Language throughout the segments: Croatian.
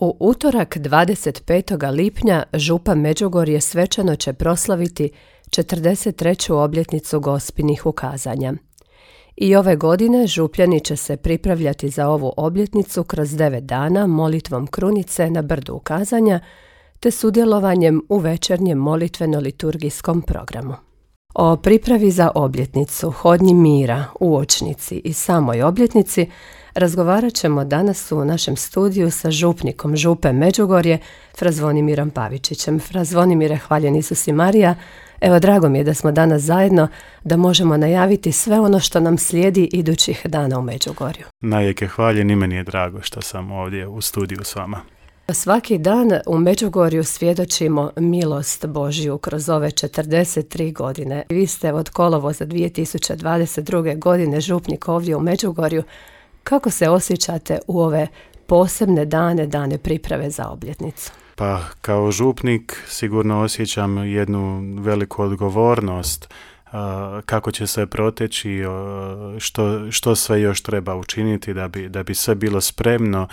U utorak 25. lipnja župa Međugorje svečano će proslaviti 43. obljetnicu Gospinih ukazanja. I ove godine župljani će se pripravljati za ovu obljetnicu kroz 9 dana molitvom krunice na brdu ukazanja te sudjelovanjem u večernjem molitveno-liturgijskom programu. O pripravi za obljetnicu, hodnji mira, uočnici i samoj obljetnici razgovarat ćemo danas u našem studiju sa župnikom župe Međugorje, fra Zvonimirom Pavičićem. Fra Zvonimire, hvaljen Isus i Marija. Evo, drago mi je da smo danas zajedno, da možemo najaviti sve ono što nam slijedi idućih dana u Međugorju. Najjeke hvaljen i meni je drago što sam ovdje u studiju s vama. Svaki dan u Međugorju svjedočimo milost Božju kroz ove 43 godine. Vi ste od kolovoza 2022. godine župnik ovdje u Međugorju. Kako se osjećate u ove posebne dane priprave za obljetnicu? Pa kao župnik sigurno osjećam jednu veliku odgovornost kako će sve proteći, što sve još treba učiniti da bi sve bilo spremno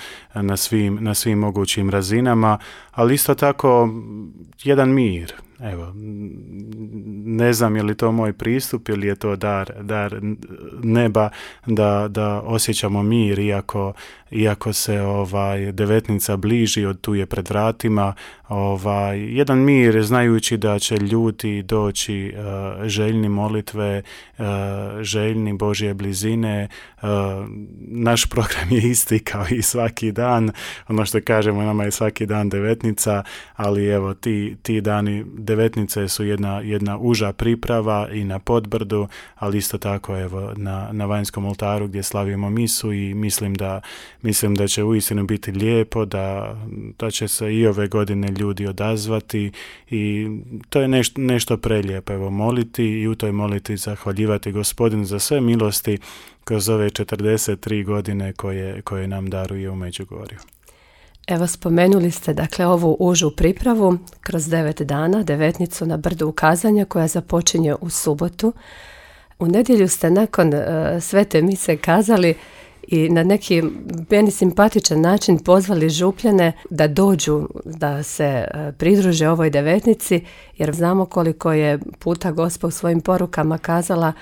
na svim mogućim razinama, ali isto tako jedan mir. Evo, ne znam je li to moj pristup ili je to dar neba da osjećamo mir iako se devetnica bliži, tu je pred vratima, jedan mir znajući da će ljudi doći željni molitve, željni Božje blizine. Naš program je isti kao i svaki dan, ono što kažemo, nama je svaki dan devetnica, ali evo ti dani devetnice su jedna uža priprava i na Podbrdu, ali isto tako evo na vanjskom oltaru gdje slavimo misu i mislim da će uistinu biti lijepo, da će se i ove godine ljudi odazvati i to je nešto prelijepo, evo moliti i u toj moliti zahvaljivati Gospodinu za sve milosti kroz ove 43 godine koje nam daruje u Međugorju. Evo, spomenuli ste dakle ovu užu pripravu kroz 9 dana, devetnicu na brdu ukazanja koja započinje u subotu. U nedjelju ste nakon svete mise kazali i na neki meni simpatičan način pozvali župljane da dođu, da se pridruže ovoj devetnici, jer znamo koliko je puta Gospa u svojim porukama kazala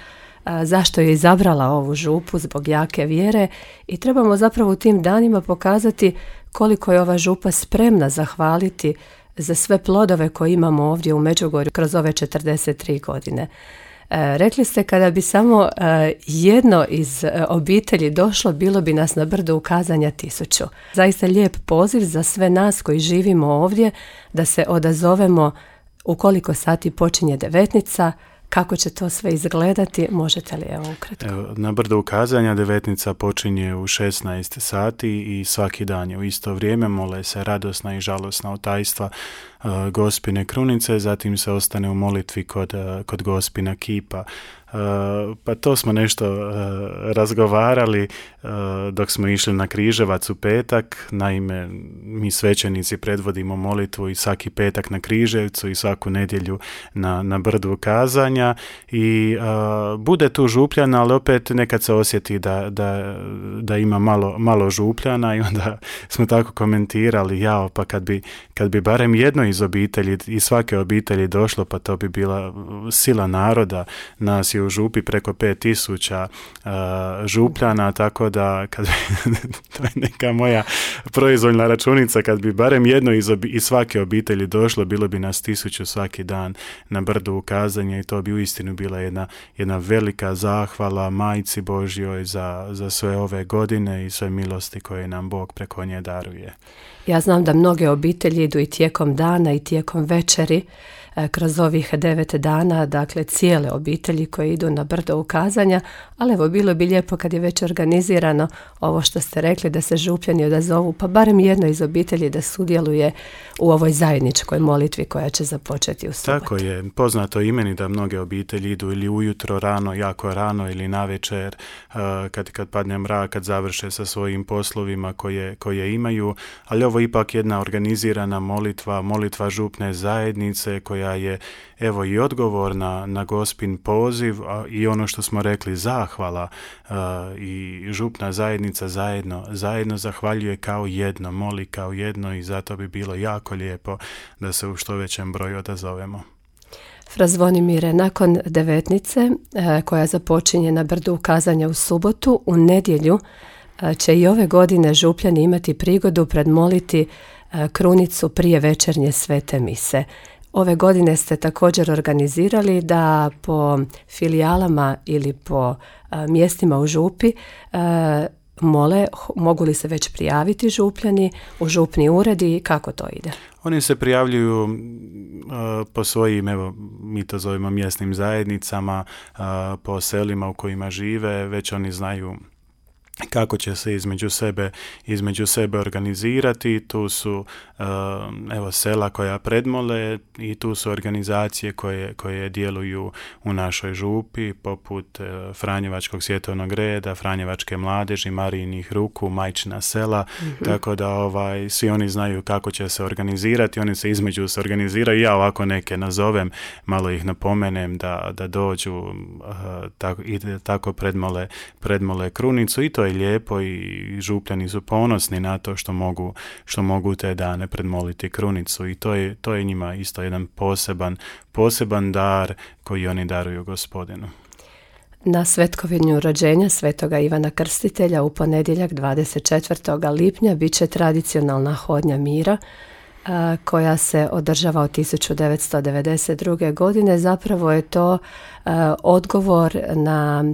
zašto je izabrala ovu župu zbog jake vjere i trebamo zapravo u tim danima pokazati koliko je ova župa spremna zahvaliti za sve plodove koje imamo ovdje u Međugorju kroz ove 43 godine. Rekli ste kada bi samo jedno iz obitelji došlo, bilo bi nas na brdu ukazanja 1000. Zaista lijep poziv za sve nas koji živimo ovdje da se odazovemo u koliko sati počinje devetnica. Kako će to sve izgledati? Možete li ukratko? Na brdu ukazanja devetnica počinje u 16 sati i svaki dan je u isto vrijeme. Mole se radosna i žalosna otajstva Gospine krunice, zatim se ostane u molitvi kod Gospina kipa. Pa to smo nešto razgovarali dok smo išli na Križevac u petak. Naime, mi svećenici predvodimo molitvu i svaki petak na Križevcu i svaku nedjelju na brdu ukazanja i bude tu župljana, ali opet nekad se osjeti da ima malo župljana i onda smo tako komentirali, pa kad bi barem jedno iz obitelji, iz svake obitelji došlo, pa to bi bila sila naroda. Nas je u župi preko 5000 župljana, tako da to je neka moja proizvoljna računica, kad bi barem jedno iz svake obitelji došlo, bilo bi nas 1000 svaki dan na brdu ukazanja i to bi uistinu bila jedna velika zahvala Majci Božjoj za sve ove godine i sve milosti koje nam Bog preko nje daruje. Ja znam da mnoge obitelji idu i tijekom dana i tijekom večeri kroz ovih 9 dana, dakle cijele obitelji koje idu na brdo ukazanja, ali evo bilo bi lijepo kad je već organizirano ovo što ste rekli da se župljani odazovu, pa barem jedno iz obitelji da sudjeluje u ovoj zajedničkoj molitvi koja će započeti u subotu. Tako je, poznato i meni da mnoge obitelji idu ili ujutro rano, jako rano ili navečer, kad padne mrak, kad završe sa svojim poslovima koje imaju, ali ovo ipak jedna organizirana molitva župne zajednice koja je evo i odgovor na Gospin poziv i ono što smo rekli, zahvala i župna zajednica zajedno zahvaljuje kao jedno, moli kao jedno i zato bi bilo jako lijepo da se u što većem broju odazovemo. Fra Zvonimire, nakon devetnice koja započinje na brdu ukazanja u subotu, u nedjelju će i ove godine župljani imati prigodu predmoliti krunicu prije večernje svete mise. Ove godine ste također organizirali da po filijalama ili po mjestima u župi mole, mogu li se već prijaviti župljani u župni ured i kako to ide? Oni se prijavljuju po svojim, evo, mi to zovemo mjesnim zajednicama, po selima u kojima žive, već oni znaju kako će se između sebe organizirati. Tu su sela koja predmole i tu su organizacije koje djeluju u našoj župi, poput Franjevačkog svjetovnog reda, Franjevačke mladeži, Marijinih ruku, Majčina sela, tako da svi oni znaju kako će se organizirati, oni se između se organiziraju, ja ovako neke nazovem, malo ih napomenem da dođu i tako predmole krunicu i to je lijepo i župljani su ponosni na to što mogu te dane predmoliti krunicu i to je njima isto jedan poseban dar koji oni daruju Gospodinu. Na svetkovinju rođenja svetoga Ivana Krstitelja u ponedjeljak 24. lipnja bit će tradicionalna hodnja mira koja se održava od 1992. godine. Zapravo je to odgovor na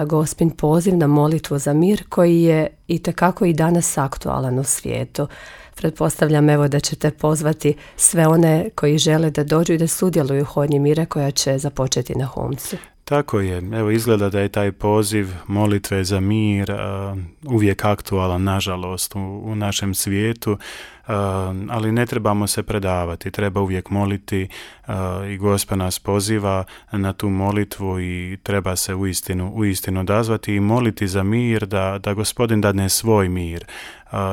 Gospin poziv na molitvu za mir koji je itekako i danas aktualan u svijetu. Pretpostavljam da ćete pozvati sve one koji žele da dođu i da sudjeluju u hodnji mira koja će započeti na Humcu. Tako je. Evo, izgleda da je taj poziv molitve za mir uvijek aktualan, nažalost, u našem svijetu, ali ne trebamo se predavati, treba uvijek moliti i Gospod nas poziva na tu molitvu i treba se uistinu odazvati i moliti za mir, da Gospodin dadne svoj mir.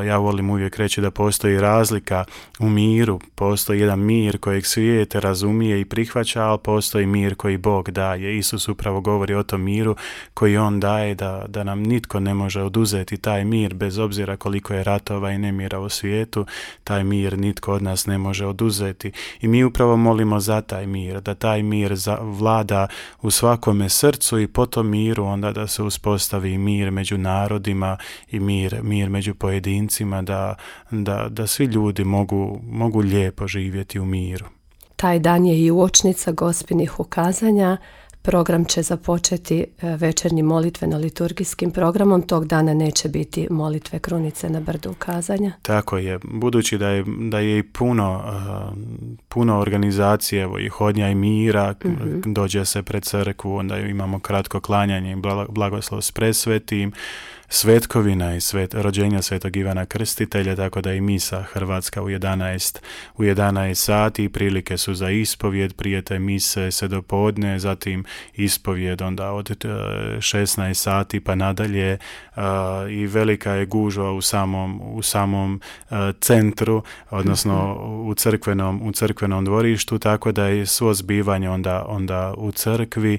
Ja volim uvijek reći da postoji razlika u miru, postoji jedan mir kojeg svijet razumije i prihvaća, ali postoji mir koji Bog daje. Isus upravo govori o tom miru koji on daje, da nam nitko ne može oduzeti taj mir, bez obzira koliko je ratova i nemira u svijetu, taj mir nitko od nas ne može oduzeti. I mi upravo molimo za taj mir, da taj mir vlada u svakome srcu i po tom miru onda da se uspostavi mir među narodima i mir među pojedincima, da svi ljudi mogu lijepo živjeti u miru. Taj dan je i uočnica Gospinih ukazanja. Program će započeti večernjim molitveno-liturgijskim programom. Tog dana neće biti molitve krunice na brdu ukazanja. Tako je. Budući da je i puno organizacije i hodnja i mira, dođe se pred crkvu, onda imamo kratko klanjanje i blagoslov s presvetim, svetkovina i rođenja svetog Ivana Krstitelja, tako da i misa hrvatska u 11 sati i prilike su za ispovjed, prije te mise se do podne, zatim ispovjed onda od 16 sati pa nadalje i velika je gužva u samom centru, odnosno u crkvenom dvorištu, tako da je svo zbivanje onda u crkvi.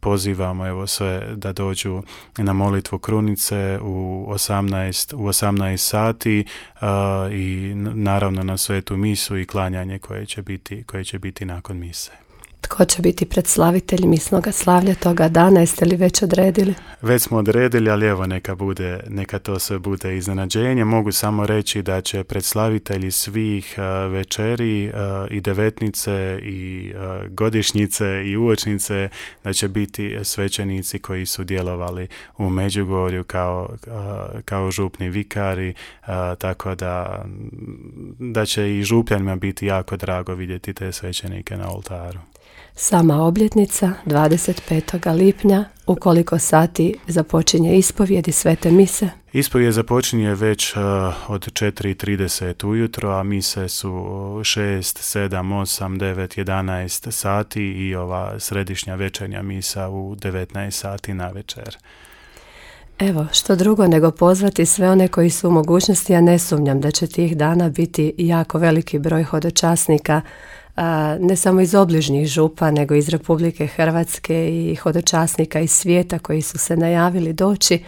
Pozivamo sve da dođu na molitvu krunice u 18 sati i naravno na svetu misu i klanjanje koje će biti nakon mise. Tko će biti predslavitelj misnoga slavlja toga dana, jeste li već odredili? Već smo odredili, ali evo neka to sve bude iznenađenje. Mogu samo reći da će predslavitelji svih večeri i devetnice i godišnjice i uočnice, da će biti svećenici koji su djelovali u Međugorju kao župni vikari, tako da će i župljanima biti jako drago vidjeti te svećenike na oltaru. Sama obljetnica 25. lipnja, u koliko sati započinje ispovjed i svete mise? Ispovjed započinje već od 4:30 ujutro, a mise su 6, 7, 8, 9, 11 sati i ova središnja večernja misa u 19 sati na večer. Evo, što drugo nego pozvati sve one koji su u mogućnosti, ja ne sumnjam da će tih dana biti jako veliki broj hodočasnika ne samo iz obližnjih župa, nego iz Republike Hrvatske i hodočasnika iz svijeta koji su se najavili doći.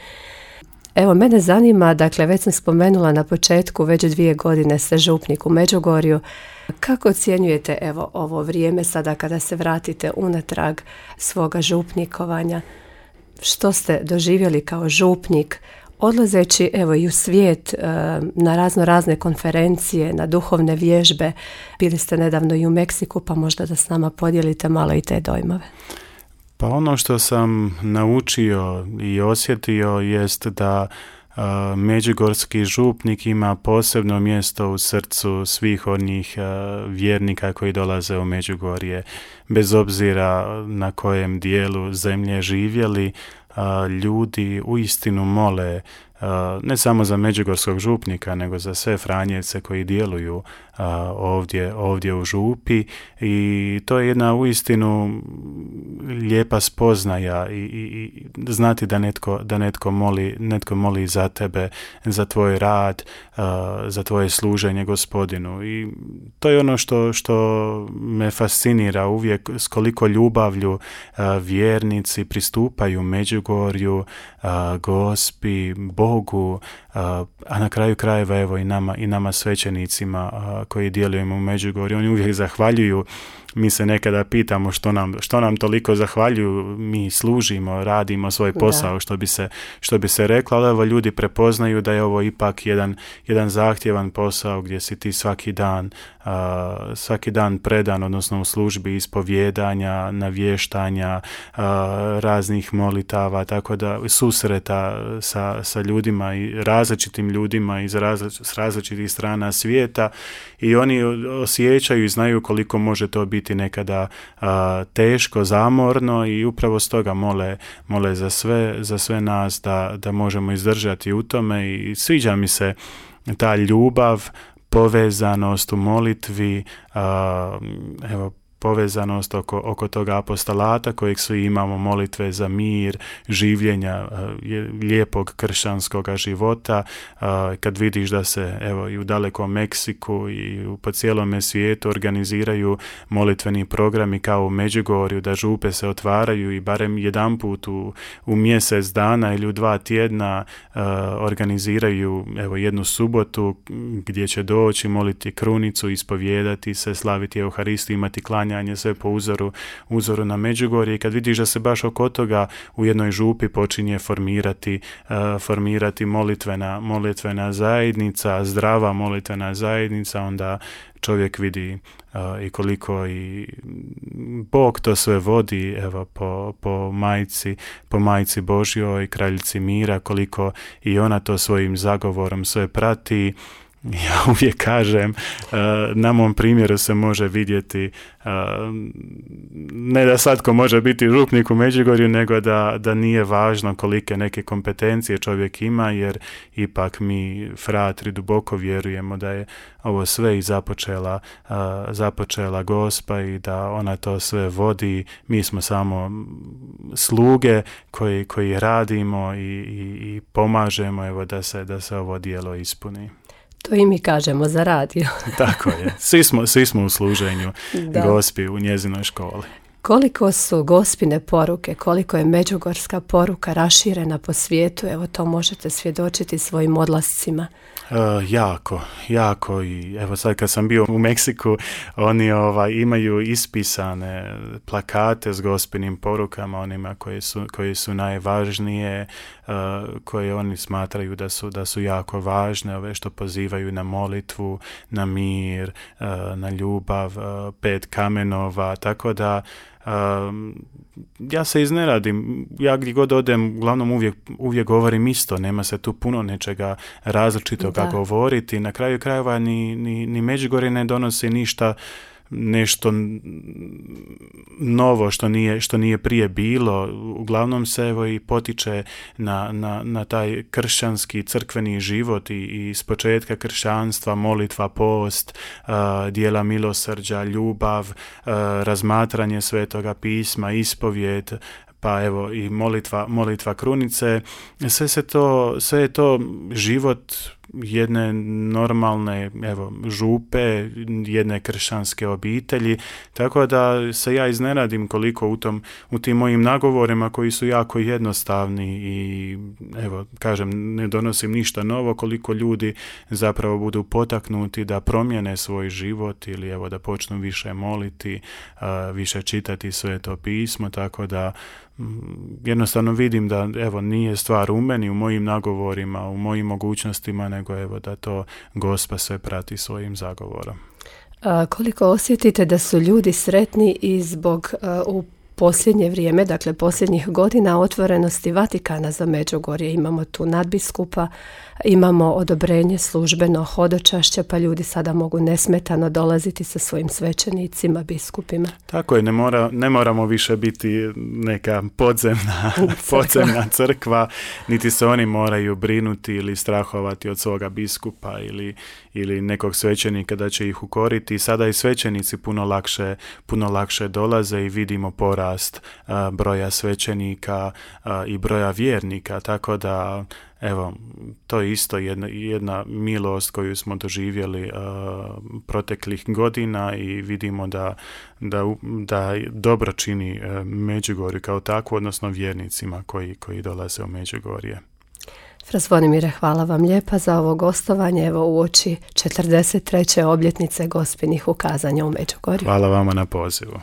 Evo, mene zanima, dakle, već sam spomenula na početku, već 2 godine ste župnik u Međugorju. Kako ocjenjujete, evo, ovo vrijeme sada kada se vratite unatrag svoga župnikovanja? Što ste doživjeli kao župnik, odlazeći, evo, i u svijet na razne konferencije, na duhovne vježbe? Bili ste nedavno i u Meksiku, pa možda da s nama podijelite malo i te dojmove. Pa ono što sam naučio i osjetio jest da međugorski župnik ima posebno mjesto u srcu svih onih vjernika koji dolaze u Međugorje. Bez obzira na kojem dijelu zemlje živjeli, ljudi uistinu mole ne samo za međugorskog župnika, nego za sve Franjevce koji djeluju ovdje u župi, i to je jedna uistinu lijepa spoznaja i znati da netko moli za tebe, za tvoj rad, za tvoje služenje Gospodinu. I to je ono što me fascinira uvijek, s koliko ljubavlju vjernici pristupaju Međugorju, Gospi, Bogu, a na kraju krajeva evo i nama svećenicima koji djelujemo u Međugorju. Oni uvijek zahvaljuju. Mi se nekada pitamo što nam toliko zahvaljuju, mi služimo, radimo svoj posao, što bi se reklo, ali evo, ljudi prepoznaju da je ovo ipak jedan zahtjevan posao gdje si ti svaki dan predan, odnosno u službi ispovjedanja, navještanja, raznih molitava, tako da susreta sa ljudima i različitim ljudima s različitih strana svijeta, i oni osjećaju i znaju koliko može to biti nekada teško, zamorno, i upravo stoga mole za sve nas da možemo izdržati u tome. I sviđa mi se ta ljubav, povezanost u molitvi, evo, povezanost oko toga apostolata kojeg svi imamo, molitve za mir, življenja lijepog kršćanskog života. Kad vidiš da se evo i u dalekom Meksiku i po cijelome svijetu organiziraju molitveni programi kao u Međugorju, da župe se otvaraju i barem jedanput u mjesec dana ili u 2 tjedna organiziraju evo jednu subotu gdje će doći, moliti krunicu, ispovijedati se, slaviti Euharistiju, imati klanje, sve po uzoru na Međugorje. I kad vidiš da se baš oko toga u jednoj župi počinje formirati molitvena zajednica, zdrava molitvena zajednica, onda čovjek vidi i koliko i Bog to sve vodi, evo, po majci Božjoj, kraljici mira, koliko i ona to svojim zagovorom sve prati. Ja uvijek kažem, na mom primjeru se može vidjeti, ne da svatko može biti župnik u Međugorju, nego da nije važno kolike neke kompetencije čovjek ima, jer ipak mi fratri duboko vjerujemo da je ovo sve i započela Gospa i da ona to sve vodi. Mi smo samo sluge koji radimo i pomažemo, evo, da se ovo djelo ispuni. To i mi kažemo za radio. Tako je. Svi smo u služenju Gospi u njezinoj školi. Koliko su Gospine poruke, koliko je međugorska poruka raširena po svijetu, evo to možete svjedočiti svojim odlascima. Jako. I evo sad kad sam bio u Meksiku, oni imaju ispisane plakate s Gospinim porukama, onima koje su najvažnije, koje oni smatraju da su jako važne, ove što pozivaju na molitvu, na mir, na ljubav, 5 kamenova, tako da ja se izneradim, ja gdje god odem, uglavnom uvijek govorim isto, nema se tu puno nečega različitoga govoriti. Na kraju krajeva ni Međugorje ne donosi nešto novo što nije prije bilo. Uglavnom se evo i potiče na taj kršćanski crkveni život i s početka kršćanstva, molitva, post, djela milosrđa, ljubav, razmatranje Svetoga pisma, ispovijed, pa evo i molitva krunice, sve je to život jedne normalne župe, jedne kršćanske obitelji, tako da se ja iznenadim koliko u tim mojim nagovorima koji su jako jednostavni i kažem, ne donosim ništa novo, koliko ljudi zapravo budu potaknuti da promijene svoj život ili da počnu više moliti, više čitati Sveto pismo, tako da jednostavno vidim da nije stvar u meni, u mojim nagovorima, u mojim mogućnostima, nego da to Gospod sve prati svojim zagovorom. Koliko osjetite da su ljudi sretni i zbog u posljednje vrijeme, dakle posljednjih godina, otvorenosti Vatikana za Međugorje? Imamo tu nadbiskupa, imamo odobrenje službeno hodočašća, pa ljudi sada mogu nesmetano dolaziti sa svojim svećenicima, biskupima. Tako je, ne moramo više biti neka podzemna crkva, niti se oni moraju brinuti ili strahovati od svoga biskupa ili nekog svećenika da će ih ukoriti. Sada i svećenici puno lakše dolaze i vidimo porast broja svećenika i broja vjernika, tako da to je isto jedna milost koju smo doživjeli proteklih godina i vidimo da dobro čini Međugorju kao takvu, odnosno vjernicima koji dolaze u Međugorje. Fra Zvonimire, hvala vam lijepa za ovo gostovanje uoči 43. obljetnice Gospinih ukazanja u Međugorju. Hvala vama na pozivu.